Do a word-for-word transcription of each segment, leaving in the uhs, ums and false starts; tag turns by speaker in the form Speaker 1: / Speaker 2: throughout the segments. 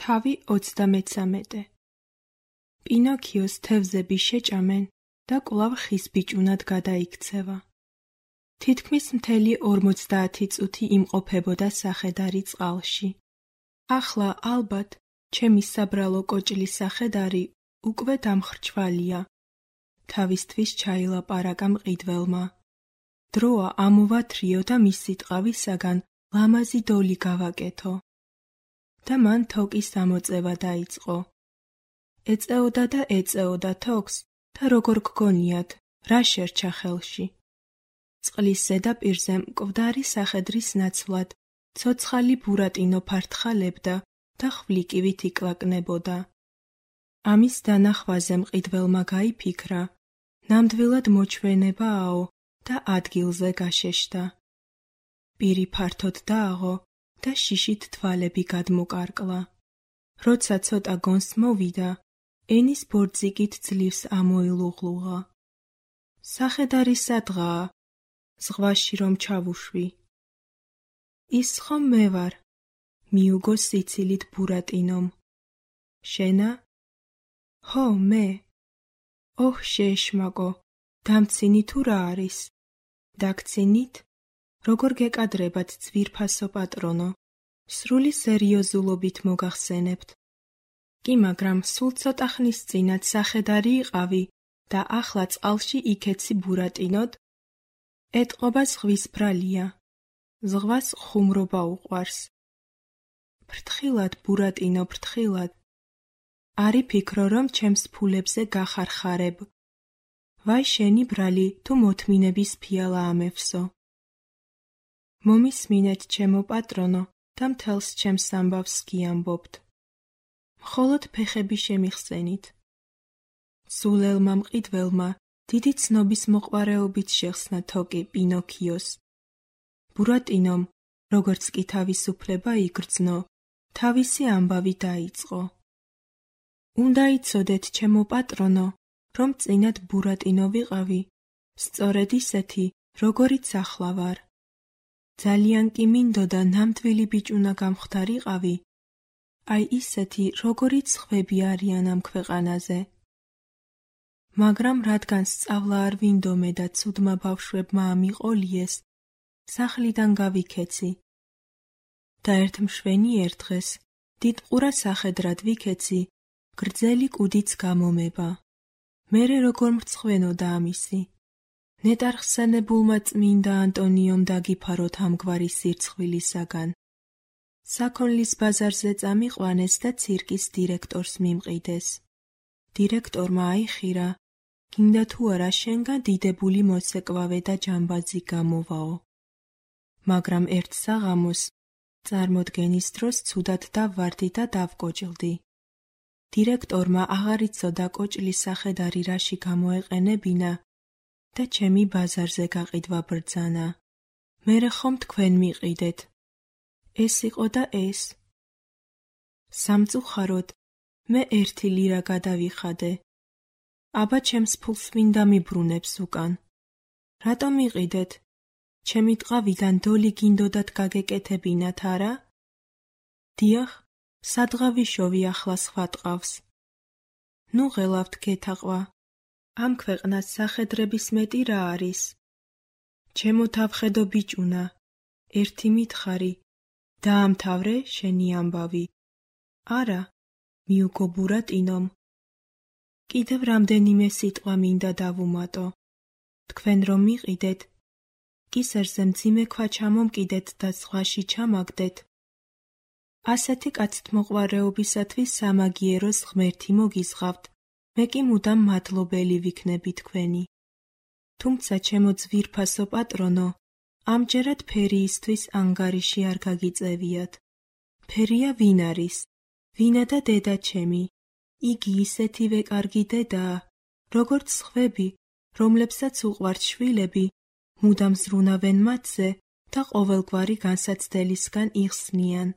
Speaker 1: თავი ოცდამეცამეტე. პინოქიოს თევზები შეჭამენ და კვლავ ხის ბიჭუნად გადაიქცევა. თითქმის მთელი ორმოცდაათი წუთი იმყოფებოდა სახედარი წყალში. ახლა ალბათ ჩემი საბრალო კოჭლის სახედარი უკვე დამხრჩვალია. თავისთვის ჩაილაპარაკა მყიდველმა. დროა ამოვათრიო და მისი ტყავისაგან ლამაზი დოლი გავაკეთო. და მან თოკის ამოწევა დაიწყო. ეწეოდა და ეწეოდა თოქს და როგორ გგონიათ, რა შერჩა ხელში. წყლის ზედაპირზე მკვდარი სახედრის ნაცვლად ცოცხალი ბურატინო ფართხალებდა და ხვლიკივით იკლაკნებოდა. ამის დანახვაზე მყიდველმა გაიფიქრა, ნამდვილად მოჩვენებააო და ადგილზე გაშეშდა. პირი ფართოდ დააღო და შიშით თვალები გადმოკარკლა. როცა ცოტა გონს მოვიდა, ენის ბორძიკით ძლივს ამოილუღლუღა. სახედარი სადღაა, ზღვაში რომ ჩავუშვი. ის ხომ მე ვარ, მიუგო სიცილით ბურატინომ. შენა? ჰო, მე. ოჰ, შეეშმაკო, დამცინი თუ რა არის? დაგცინით? როგორ გეკადრებათ ძვირფასო პატრონო? სრული სერიოზულობით მოგახსენებთ. კი, მაგრამ სულ ცოტა ხნის წინათ სახედარი იყავი და ახლა წყალში იქეცი ბურატინოდ? ეტყობა ზღვის ბრალია. ზღვას ხუმრობა უყვარს. ფრთხილად, ბურატინო, ფრთხილად. არი ფიქრო, რომ ჩემს ფულებზე გახარხარებ. ვაი შენი ბრალი, თუ მოთმინების ფიალა ამევსო. მომისმინეთ, ჩემო პატრონო, და მთელს ჩემს ამბავს გიამბობთ. მხოლოდ ფეხები შემიხსენით. სულელმა მყიდველმა დიდი ცნობის მოყვარეობით შეხსნა თოკი პინოქიოს. ბურატინომ, როგორც კი თავისუფლება იგრძნო, თავისი ამბავი დაიწყო. უნდა იცოდეთ, ჩემო პატრონო, რომ წინათ ბურატინო ვიყავი, სწორედ ისეთი, როგორიც ახლა ვარ. ძალიან კი მინდოდა ნამდვილი ბიჭუნა გამხდარიყავი, აი ისეთი, როგორიც სხვები არიან ამ ქვეყანაზე. მაგრამ რადგან სწავლა არ ვინდომე და ცუდმა ბავშვებმა ამიყოლიეს, სახლიდან გავიქეცი. და ერთ მშვენიერ დღეს, დიდ ყურა სახედრად ვიქეცი, გრძელი კუდიც გამომება. მერე როგორ მრცხვენოდა ამისი. ნეტარხსენებულმა წმინდა ანტონიომ დაგიფაროთ ამგვარი სირცხვილისაგან. საქონლის ბაზარზე წამიყვანეს და ცირკის დირექტორს მიმყიდეს. დირექტორმა აიხირა, გინდა თუ არა შენგან დიდებული მოცეკვავე და ჯამბაზი გამოვაო. მაგრამ ერთ საღამოს, წარმოდგენის დროს ცუდად დავვარდი და დავკოჭლდი. დირექტორმა აღარ იცოდა კოჭლის სახედარი რაში გამოეყენებინა და ჩემი ბაზარზე გაყიდვა ბრძანა. მერე ხომ თქვენ მიყიდეთ. ეს იყო და ეს. სამწუხაროდ, მე ერთი ლირა გადავიხადე. აბა ჩემს ფულს ვინ დამიბრუნებს უკან? რატომ მიყიდეთ? ჩემი ტყავიდან დოლი გინდოდათ გაგეკეთებინათ, არა? დიახ, სადღავიშოვი ახლა სხვა ტყავს. ნუ ღელავთ გეთაყვა. ამ ქვეყნას სახედრების მეტი რა არის? ჩემო თავხედო ბიჭუნა, ერთი მითხარი, დაამთავრე შენი ამბავი. არა, მიუგო ბურატინომ. კიდევ რამდენიმე სიტყვა მინდა დავუმატო. თქვენ რომ მიყიდეთ, კისერზე მძიმე ქვა ჩამომკიდეთ და ზღვაში ჩამაგდეთ. ასეთი კაცთმოყვარეობისათვის სამაგიეროს ღმერთი მოგიზღავთ, მე კი მუდამ მადლობელი ვიქნები თქვენი. თუმცა ჩემო ძვირფასო პატრონო, ამჯერად ფერიისთვის ანგარიში არ გაგიწევიათ. ფერია ვინ არის? ვინა და დედა ჩემი? იგი ისეთივე კარგი დედაა, როგორც სხვები, რომლებსაც უყვართ შვილები, მუდამ ზრუნავენ მათზე და ყოველგვარი განსაცდელისგან იხსნიან.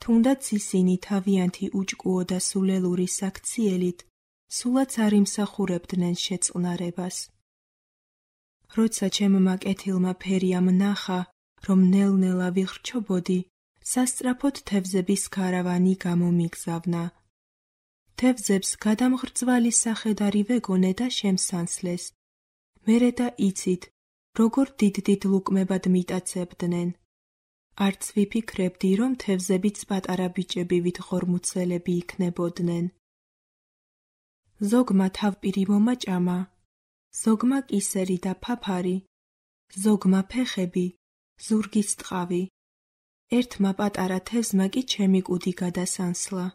Speaker 1: თუნდაც ისინი თავიანთი უჭკუო და სულელური საქციელით, სულაც არ იმსახურებდნენ შეწყნარებას. როცა ჩემმა კეთილმა ფერიამ ნახა, რომ ნელ-ნელა ვიხრჩობოდი, სასწრაფოდ თევზების ქარავანი გამომიგზავნა. თევზებს გადამღრძვალი სახედარი ვეგონე და შემსანსლეს. მერე და იცით, როგორ დიდ-დიდ ლუკმებად მიტაცებდნენ. არც ვიფიქრებდი, რომ თევზებიც პატარა ბიჭები ვითხორმუცელები იქნებოდნენ. ზოგმა თავპირი მომაჭამა, ზოგმა კისერი და ფაფარი, ზოგმა ფეხები, ზურგის ტყავი. ერთმა პატარა თევზმა კი ჩემი კუდი გადასანსლა.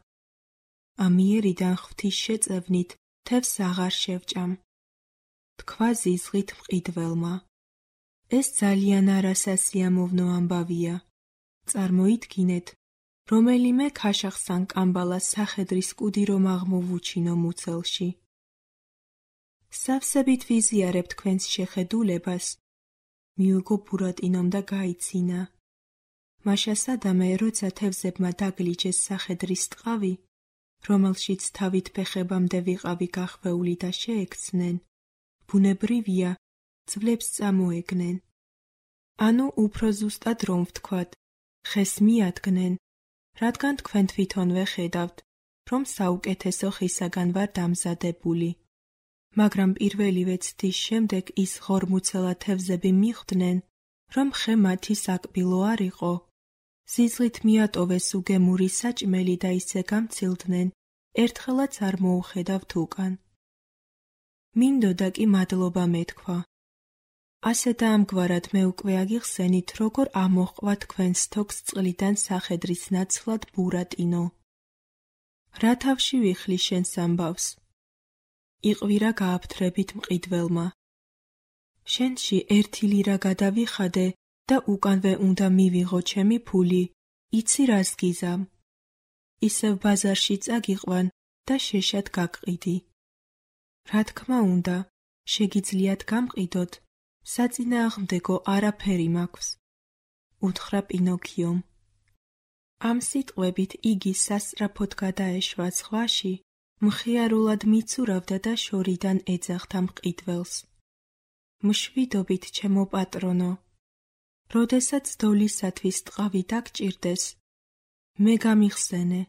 Speaker 1: ამიერიდან ღვთის შეწევნით თევზს აღარ შევჭამ. თქვა ზიზღით მყიდველმა. ეს ძალიან არასასიამოვნო ამბავია. წარმოიდგინეთ, რომელიმე ქაშახს ან კამბალას სახედრის კუდი რომ აღმოვუჩინო მუცელში. სავსებით ვიზიარებ თქვენს შეხედულებას. მიუგო ბურატინომ და გაიცინა. მაშა სადამე, როცა თევზებმა დაგლიჯეს სახედრის ტყავი, რომელშიც თავით ფეხებამდე ვიყავი გახვეული და შეექცნენ, ბუნებრივია, ძვლებს წამოეგნენ. ანუ უფრო ზუსტად რომ ვთქვათ, ხეს მიადგნენ, რადგან თქვენ თვითონვე ხედავთ, რომ საუკეთესო ხისაგან ვარ დამზადებული. მაგრამ პირველივე ცდის შემდეგ ის ღორმუცელა თევზები მიხვდნენ, რომ ხე მათი საკბილო არ იყო. ზიზღით მიატოვეს უგემური საჭმელი და ისე გამცილდნენ, ერთხელაც არ მოუხედავთ უკან. მინდოდა კი მადლობა მეთქვა. ასე და ამგვარად მე უკვე აგიხსენით, როგორ ამოჰყვა თქვენს თოქს წყლიდან სახედრის ნაცვლად ბურატინო. რა თავში ვიხლი შენს ამბავს? იყვირა გააფთრებით მყიდველმა. შენში ერთი ლირა გადავიხადე და უკანვე უნდა მივიღო ჩემი ფული, იცი რას გიზამ? ისევ ბაზარში წაგიყვან და შეშად გაგყიდი. რა თქმა უნდა, შეგიძლიათ გამყიდოთ, საწინააღმდეგო არაფერი მაქვს, უთხრა პინოქიომ. ამ სიტყვებით იგი სასწრაფოდ გადაეშვა ზღვაში, მხიარულად მიცურავდა და შორიდან ეძახდა მყიდველს. მშვიდობით, ჩემო პატრონო. როდესაც დოლისათვის ტყავი დაგჭირდეს, მე გამიხსენე.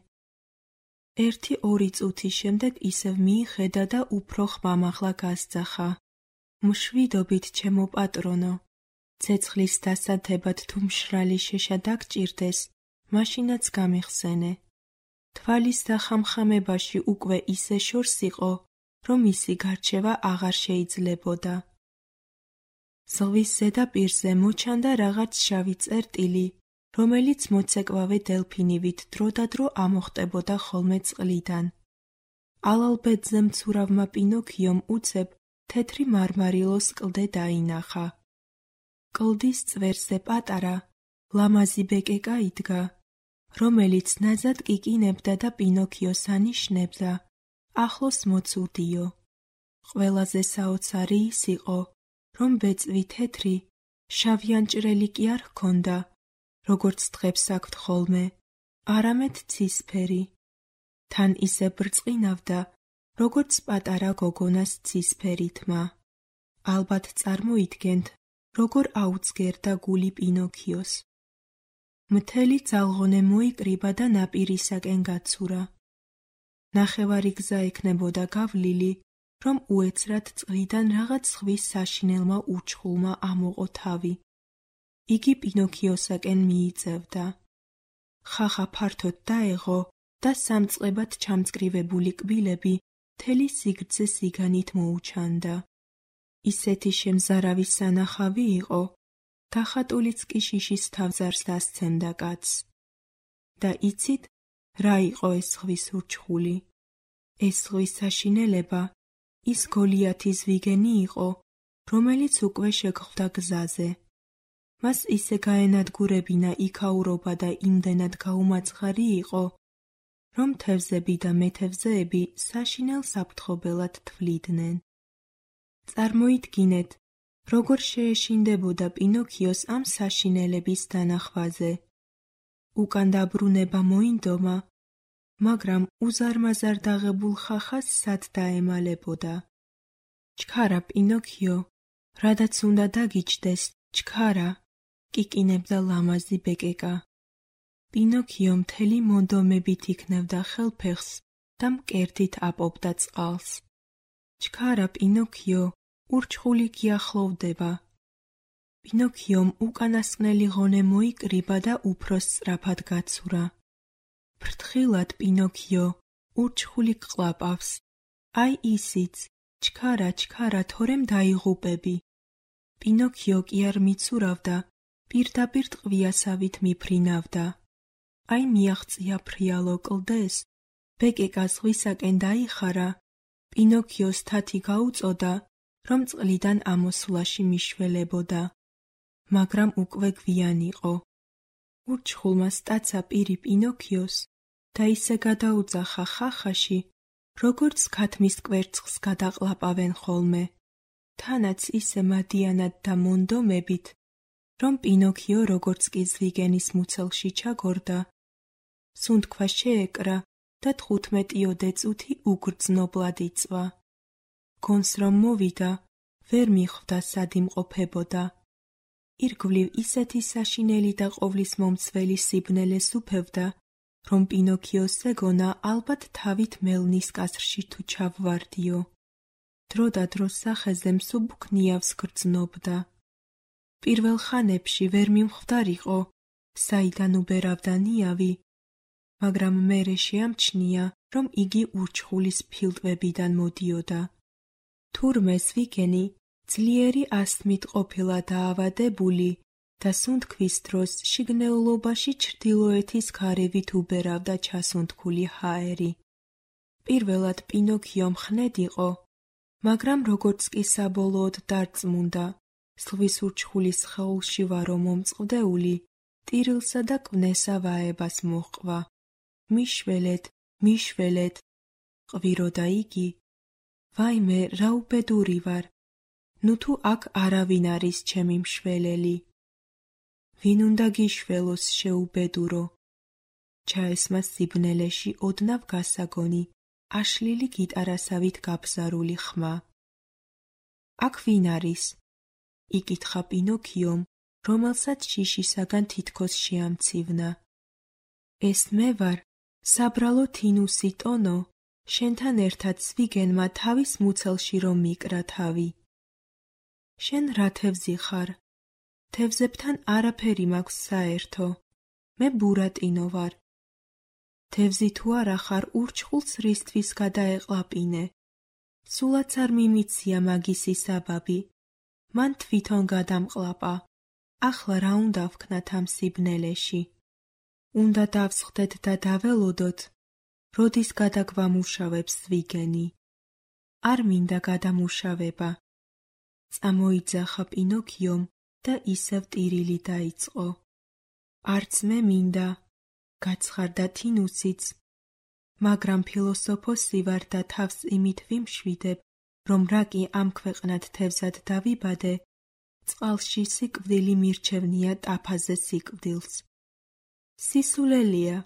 Speaker 1: ერთი ორი წუთის შემდეგ ისევ მიიხედა და უფრო ხმამაღლა გასძახა. მშვიდობით, ჩემო პატრონო. ცეცხლის დასათებად თუ მშრალი შეშა დაგჭირდეს, მაშინაც გამიხსენე. თვალის დახამხამებაში უკვე ისე შორს იყო, რომ ისი გარჩევა აღარ შეიძლებოდა. ზღვის ზედაპირზე მოჩანდა რაღაც შავი წერტილი, რომელიც მოცეკვავე დელფინივით დროდადრო ამოხტებოდა ხოლმე წყლიდან. ალალბედზე მცურავმა პინოქიომ უცებ თეთრი მარმარილოს კლდე დაინახა. კლდის წვერზე პატარა, ლამაზი ბეკეკა იდგა, რომელიც ნაზად კიკინებდა და პინოქიოს ანიშნებდა, ახლოს მოცურდიო. ყველაზე საოცარი ის იყო, რომ ბეწვი თეთრი, შავიანჭრელი კი არ ჰქონდა, როგორც დღებს აქვთ ხოლმე, არამედ ცისფერი. თან ისე ბრწყინავდა, როგორც პატარა გოგონას ცისფერი თმა. ალბათ წარმოიდგენთ, როგორ აუცგერდა გული პინოქიოს. მთელი ძალღონე მოიკრიბა და ნაპირისაკენ გაცურა. ნახევარი გზა ექნებოდა გავლილი, რომ უეცრად წყლიდან რაღაც ზღვის საშინელმა უჩხულმა ამოყო თავი. იგი პინოქიოსაკენ მიიწევდა. ხახა ფართოდ დაეღო და სამწყებად ჩამწკრივებული კბილები მთელი სიგრძე სიგანით მოუჩანდა. ისეთი შემზარავი სანახავი იყო, გახატულიც კი შიშის თავზარს დასცემდა კაცს. და იცით, რა იყო ეს ზღვის ურჩხული? ეს ზღვის საშინელება ის გოლიათის ვიგენი იყო, რომელიც უკვე შეგხვდა გზაზე. მას ისე გაენადგურებინა იქაურობა და იმდენად გაუმაცხარი იყო, რომ თევზები და მეთევზეები საშინელ საფრთხობელად თვლიდნენ. წარმოიდგინეთ, როგორ შეეშინდებოდა პინოქიოს ამ საშინელების დანახვაზე. უკან დაბრუნება მოინდომა, მაგრამ უზარმაზარ დაღებულ ხახას სად დაემალებოდა. ჩქარა პინოქიო, რადაც უნდა დაგიჯდეს, ჩქარა, კიკინებდა ლამაზი ბეკეკა. პინოქიო მთელი მონდომებით იქნევდა ხელფეხს და მკერდით აპობდა წყალს. ჩქარა პინოქიო ურჩხული გიახლოვდება. პინოქიომ უკანასკნელი ღონე მოიკრიბა და უფრო სწრაფად გაცურა. ფრთხილად პინოქიო ურჩხული გყლაპავს. აი ისიც, ჩქარა, ჩქარა, თორემ დაიღუპები. პინოქიო კი არ მიცურავდა, პირდაპირ ტყვიასავით მიფრინავდა. აი მიაღწია ფრიალო კლდეს, ბეკეკა ზღვისაკენ დაიხარა, პინოქიოს თათი გაუწოდა, რომ წყლიდან ამოსვლაში მიშველებოდა. მაგრამ უკვე გვიან იყო. ურჩხულმა სტაცა პირი პინოქიოს და ისე გადაუძახა ხახაში, როგორც ქათმის კვერცხს გადაყლაპავენ ხოლმე, თანაც ისე მადიანად და მონდომებით, რომ პინოქიო როგორც კი ზვიგენის მუცელში ჩაგორდა, სუნთქვა შეეკრა და თხუთმეტიოდე წუთი უგრძნობლად იწვა. გონს რომ მოვიდა, ვერ მიხვდა სად იმყოფებოდა. ირგვლივ ისეთი საშინელი და ყოვლის მომცველი სიბნელეს უფევდა, რომ პინოქიოს ეგონა ალბათ თავით მელნის კასრში თუ ჩავვარდიო. დრო და დროს სახეზე მსუბუქნიავს გრძნობდა. პირველ ხანებში ვერ მიმხვდარიყო, საიდან უბერავდა ნიავი, მაგრამ მერე შეამჩნია, რომ იგი ურჩხულის ფილტვებიდან მოდიოდა. თურმე ზვიგენი ძლიერი ასთმით ყოფილა დაავადებული და სუნთქვის დროს შიგნეულობაში ჩრდილოეთის ქარევით უბერავდა ჩასუნთქული ჰაერი. პირველად პინოქიო მხნედ იყო, მაგრამ როგორც კი საბოლოოდ დარწმუნდა, ზღვის ურჩხულის სხეულში ვარო მომწყდეული, ტირილსა და კვნესა ვაებას მოჰყვა. მიშველეთ, მიშველეთ, ყვიროდა იგი. ვაიმე, რა უბედური ვარ, ნუ თუ აქ არავინ არის ჩემი მშველელი. ვინ უნდა გიშველოს შეუბედურო? ჩაესმა სიბნელეში ოდნავ გასაგონი, აშლილი გიტარასავით გაბზარული ხმა. აქ ვინ არის? იკითხა პინოქიომ, რომელსაც შიშისაგან თითქოს შეამცივნა. ეს მე ვარ, საბრალო თინუსი ტონო, შენთან ერთად ზვიგენმა თავის მუცელში რომ მიკრა თავი. შენ რა თევზი ხარ? თევზებთან არაფერი მაქვს საერთო. მე ბურატინო ვარ. თევზი თუ არა ხარ, ურჩხულს რისთვის გადაეყლაპინე? სულაც არ მიმიცია მაგისი საბაბი. მან თვითონ გადამყლაპა. ახლა რა უნდა ვქნათ ამ სიბნელეში? უნდა დავსხდეთ და დაველოდოთ, როდის გადაგვამუშავებს ზვიგენი. არ მინდა გადამუშავება. წამოიძახა პინოქიომ და ისევ ტირილი დაიწყო. არც მე მინდა, გაცხარდა თინუსიც, მაგრამ ფილოსოფოსი ვარ და თავს იმით ვიმშვიდებ, რომ რა კი ამ ქვეყნად თევზად დავიბადე, წყალში სიკვდილი მირჩევნია ტაფაზე სიკვდილს. სისულელია,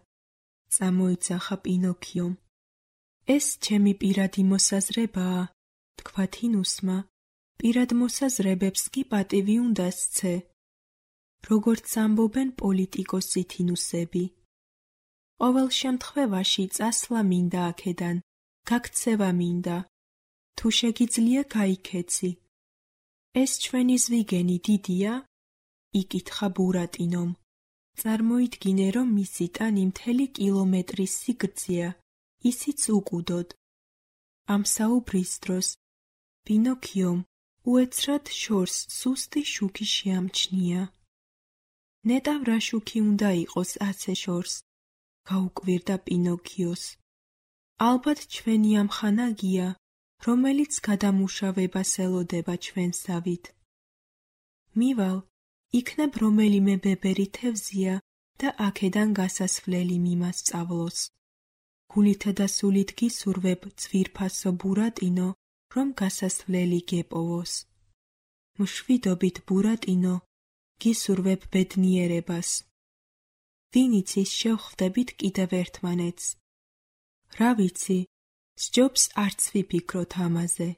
Speaker 1: წამოიძახა პინოქიომ. ეს ჩემი პირადი მოსაზრებაა, თქვა თინუსმა. პირად მოსაზრებებს კი პატივი უნდა სცე, როგორც ამბობენ პოლიტიკოსი თინუსები. ყოველ შემთხვევაში წასვლა მინდა აქედან, გაქცევა მინდა. თუ შეგიძლია გაიქეცი. ეს ჩვენი ზვიგენი დიდია? იკითხა ბურატინომ. წარმოიდგინე, რომ მისი ტანი მთელი კილომეტრის სიგრძეა, ისიც უკუდოდ. ამ საუბრის დროს პინოქიომ უეცრად შორს სუსტი შუქი შეამჩნია. ნეტავ რა შუქი უნდა იყოს ასე შორს, გაუკვირდა პინოქიოს. ალბათ ჩვენი ამ ხანაგია, რომელიც გადამუშავებას ელოდება ჩვენსავით. მივალ, იქნებ რომელიმე ბებერი თევზია და აქედან გასასვლელი მიმასწავლოს. გულითა და სულით გისურვებ, ძვირფასო ბურატინო, რომ გასასვლელი გეპოვოს. მშვიდობით ბურატინო, გისურვებ ბედნიერებას. ვინ იცის, შევხვდებით კიდევ ერთმანეთს. რა ვიცი, სჯობს არც ვიფიქროთ ამაზე.